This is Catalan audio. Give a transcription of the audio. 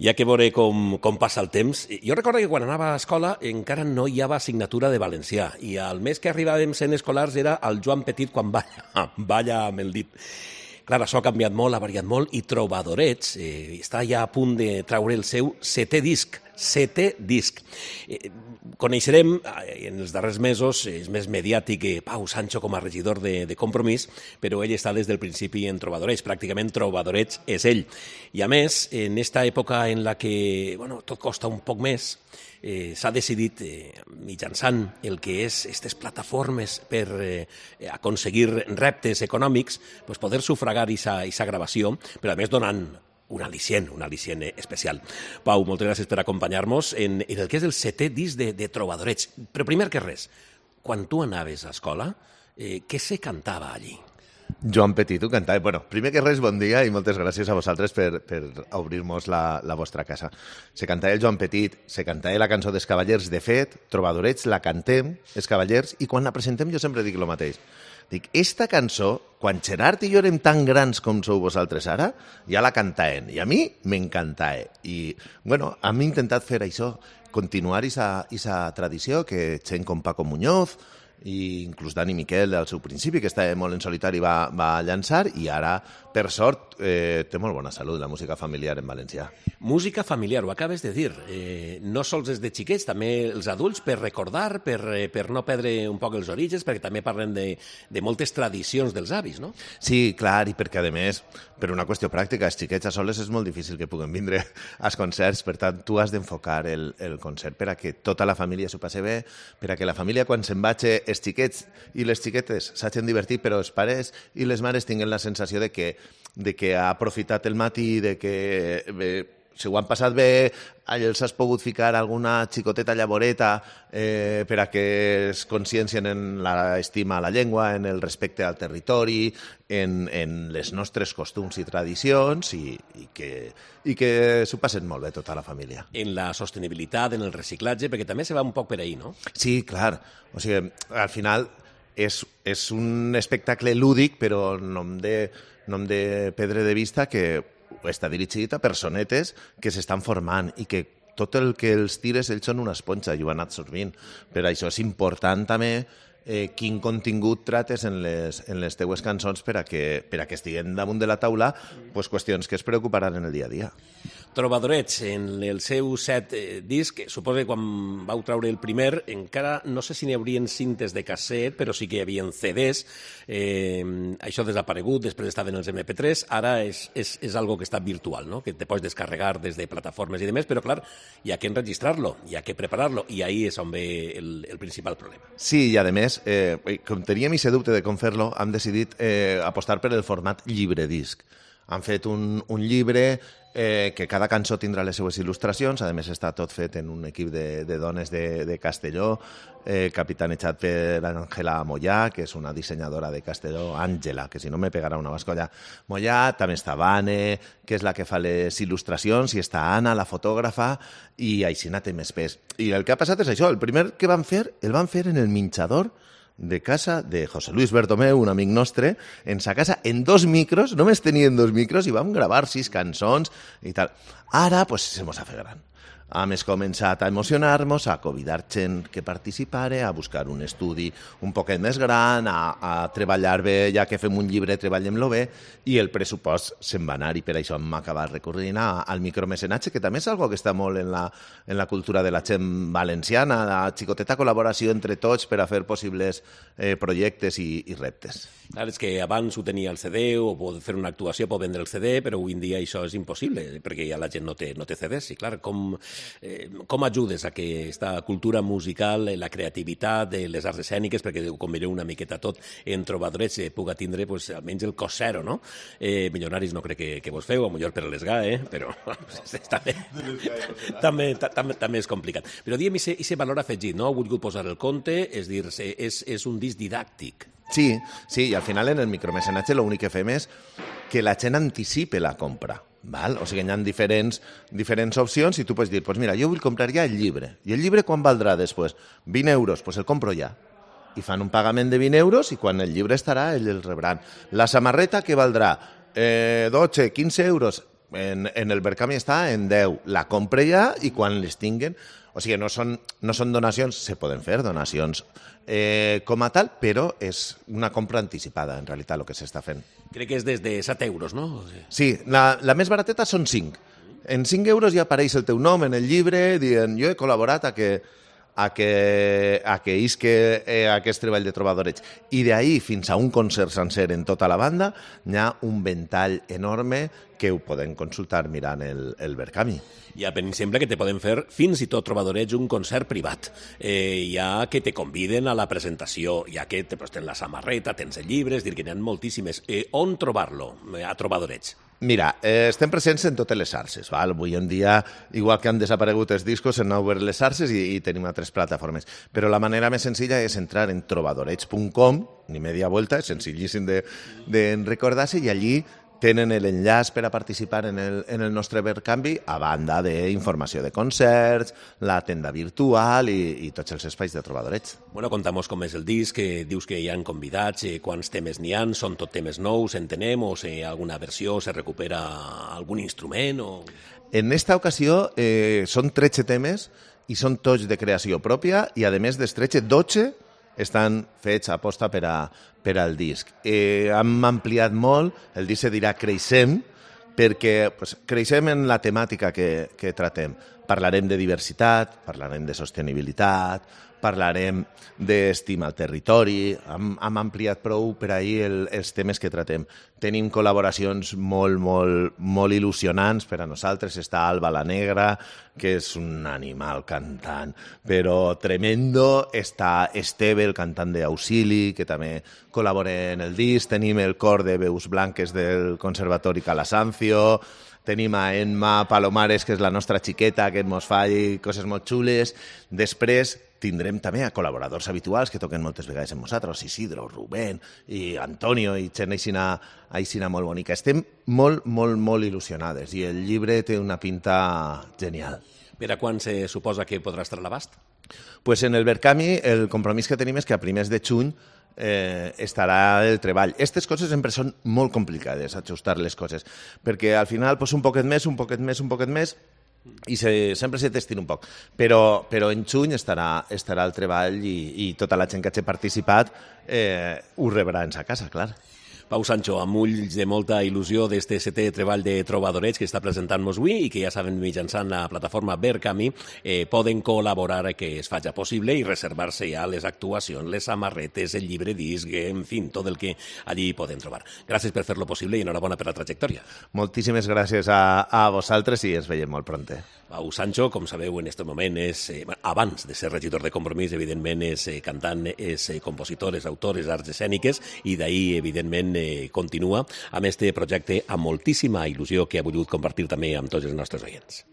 Hi ha que veure com passa el temps. Jo recordo que quan anava a escola encara no hi havia assignatura de valencià i el mes que arribàvem sent escolars era el Joan Petit quan balla amb el dit. Clar, això ha canviat molt, ha variat molt, i Trobadorets està ja a punt de treure el seu setè disc. Coneixerem en els darrers mesos, és més mediàtic Pau Sancho com a regidor de Compromís, però ell està des del principi en Trobadorets, pràcticament Trobadorets és ell. I a més, en esta època en la que tot costa un poc més, s'ha decidit, mitjançant el que és aquestes plataformes per aconseguir reptes econòmics, poder sufragar aquesta gravació, però a més donant un al·licient especial. Pau, moltes gràcies per acompanyar-nos en el que és el setè disc de Trobadorets. Però primer que res, quan tu anaves a escola, què se cantava allí? Joan Petit ho cantava. Bueno, primer que res, bon dia i moltes gràcies a vosaltres per obrir-nos la vostra casa. Se cantava el Joan Petit, se cantava la cançó dels Cavallers. De fet, Trobadorets la cantem, els Cavallers, i quan la presentem jo sempre dic el mateix. Dic, esta cançó, quan Gerard i jo érem tan grans com sou vosaltres ara, ja la cantaven. I a mi m'encantava. I, bueno, hem intentat fer això, continuar aquesta tradició que gent com Paco Muñoz, i inclús Dani Miquel al seu principi, que estava molt en solitari, va llançar, i ara, per sort, té molt bona salut la música familiar en valencià. Música familiar, ho acabes de dir. No sols és de xiquets, també els adults, per recordar, per no perdre un poc els orígens, perquè també parlen de moltes tradicions dels avis, no? Sí, clar, i perquè, a més, per una qüestió pràctica, els xiquets a soles és molt difícil que puguen vindre als concerts, per tant, tu has d'enfocar el concert per a que tota la família s'ho passi bé, per a que la família, quan se'n vagi, els xiquets i les xiquetes s'hagin divertit, però els pares i les mares tinguin la sensació de que ha aprofitat el matí, de que si ho han passat bé, els has pogut ficar alguna xicoteta llavoreta per a que es consciencien en l'estima a la llengua, en el respecte al territori, en les nostres costums i tradicions, i que s'ho passen molt bé tota la família. En la sostenibilitat, en el reciclatge, perquè també se va un poc per ahí, no? Sí, clar. O sigui, al final és un espectacle lúdic, però no hem de perdre de vista que està dirigit a personetes que s'estan formant i que tot el que els tires ells són una esponja i ho han anat absorbint. Per això és important també quin contingut trates en les teues cançons per a que estiguen damunt de la taula qüestions que es preocuparan en el dia a dia. Trobadorets, en el seu set disc, suposo que quan vau treure el primer, encara no sé si n'hi haurien cintes de casset, però sí que hi havia CDs. Això ha desaparegut, després estaven els MP3, ara és algo que està virtual, no? Que te pots descarregar des de plataformes i demés, però clar, hi ha que enregistrar-lo, hi ha que preparar-lo, i ahí és on ve el principal problema. Sí, i a més, com teníem aquest dubte de com fer-lo, hem decidit apostar per el format llibre-disc. Han fet un llibre que cada cançó tindrà les seues il·lustracions, a més està tot fet en un equip de dones de Castelló, capitanejat per Àngela Mollà, que és una dissenyadora de Castelló, Àngela, que si no me pegarà una bascolla, Mollà, també està Vane, que és la que fa les il·lustracions, i està Anna, la fotògrafa, i Aixina té més pes. I el que ha passat és això, el primer que van fer, el van fer en el minxador de casa de José Luis Bertomeu, un amic nostre, en sa casa, en 2 micros, només tenien 2 micros, i vam gravar 6 cançons i tal. Ara, pues, se mos ha fet gran. Hem començat a emocionar-nos, a convidar gent que participara, a buscar un estudi un poquet més gran, a treballar bé, ja que fem un llibre, treballem-lo bé, i el pressupost se'n va anar, i per això hem acabat recorrent al micromecenatge, que també és algo que està molt en la cultura de la gent valenciana, la xicoteta col·laboració entre tots per a fer possibles projectes i reptes. Clar, és que abans ho tenia el CD, o pot fer una actuació, pot vendre el CD, però avui en dia això és impossible, perquè ja la gent no té CDs, i clar, com ajudes a que aquesta cultura musical, la creativitat, les arts escèniques, perquè ho combineu una miqueta tot, en Trobadorets puga tindre almenys el cos zero, no? Milionaris no crec que vos feu, potser per l'ESGA, però també és complicat. Però diguem, aquest valor afegit, no? Heu volgut posar el compte, és dir, és un disc didàctic. Sí, i al final en el micromecenatge l'únic que fem és que la gent anticipe la compra. Val? O sigui, hi ha diferents opcions i tu pots dir, pues mira, jo vull comprar ja el llibre. I el llibre quan valdrà després? 20 euros, pues el compro ja. I fan un pagament de 20 euros i quan el llibre estarà, ells el rebran. La samarreta, què valdrà? 12, 15 euros. En el Verkami està en 10. La compre ja i quan les tinguen... O sigui, no són donacions, se poden fer donacions com a tal, però és una compra anticipada, en realitat, el que s'està fent. Crec que és des de 7 euros, no? Sí, la més barateta són 5. En 5 euros ja apareix el teu nom en el llibre, dient jo he col·laborat a que isque aquest treball de trobadoreig. I d'ahir fins a un concert sencer en tota la banda hi ha un ventall enorme que ho podem consultar mirant el Verkami. Ja, per exemple, que te poden fer fins i tot trobadoreig un concert privat. Ja que te conviden a la presentació, ja que tens la samarreta, tens el llibre, és dir, que n'hi ha moltíssimes. On trobar-lo, a trobadoreig? Mira, estem presents en totes les xarxes. Val? Avui en dia, igual que han desaparegut els discos, s'han obert les xarxes i tenim altres plataformes. Però la manera més senzilla és entrar en trobadoreig.com, ni media vuelta, és senzillíssim de recordar-se, i allí tenen l'enllaç per a participar en el nostre Verkami, a banda d'informació de concerts, la tenda virtual i tots els espais de trobadoreig. Bueno, contamos com és el disc, dius que hi ha convidats, quants temes n'hi ha, són tot temes nous, entenem, o si alguna versió se recupera algun instrument? O... En esta ocasió són 13 temes i són tots de creació pròpia i, a més dels 13, 12 estan fets a posta per al disc. Hem ampliat molt, el disc se dirà Creixem, perquè creixem en la temàtica que tratem. Parlarem de diversitat, parlarem de sostenibilitat, parlarem d'estima al territori, hem ampliat prou per ahir els temes que tratem. Tenim col·laboracions molt il·lusionants per a nosaltres. Està Alba la Negra, que és un animal cantant, però tremendo. Està Esteve, el cantant d'Auxili, que també col·labora en el disc. Tenim el cor de veus blanques del Conservatori Calasancio. Tenim a Emma Palomares, que és la nostra xiqueta, que ens fa coses molt xules. Després tindrem també a col·laboradors habituals que toquen moltes vegades amb nosaltres, Isidro, Rubén i Antonio, i gent aixina molt bonica. Estem molt il·lusionades i el llibre té una pinta genial. Per a quan se suposa que podrà estar a l'abast? Pues en el Verkami el compromís que tenim és que a primers de juny estarà el treball. Aquestes coses sempre són molt complicades, ajustar les coses, perquè al final un poquet més, i sempre se t'estira un poc. Però en juny estarà el treball i tota la gent que hagi participat ho rebrà en sa casa, clar. Pau Sancho, amb ulls de molta il·lusió d'este 7è treball de trobadoreig que està presentant-nos avui i que ja saben mitjançant la plataforma Verkami poden col·laborar que es faci possible i reservar-se ja les actuacions, les samarretes, el llibre disc, en fi, tot el que allí poden trobar. Gràcies per fer-lo possible i enhorabona per la trajectòria. Moltíssimes gràcies a vosaltres i ens veiem molt pronte. Pau Sancho, com sabeu, en aquest moment abans de ser regidor de Compromís, evidentment és cantant, és compositor, és autor, és arts escèniques i d'ahir, evidentment, continua amb este projecte amb moltíssima il·lusió que ha volgut compartir també amb tots els nostres oients.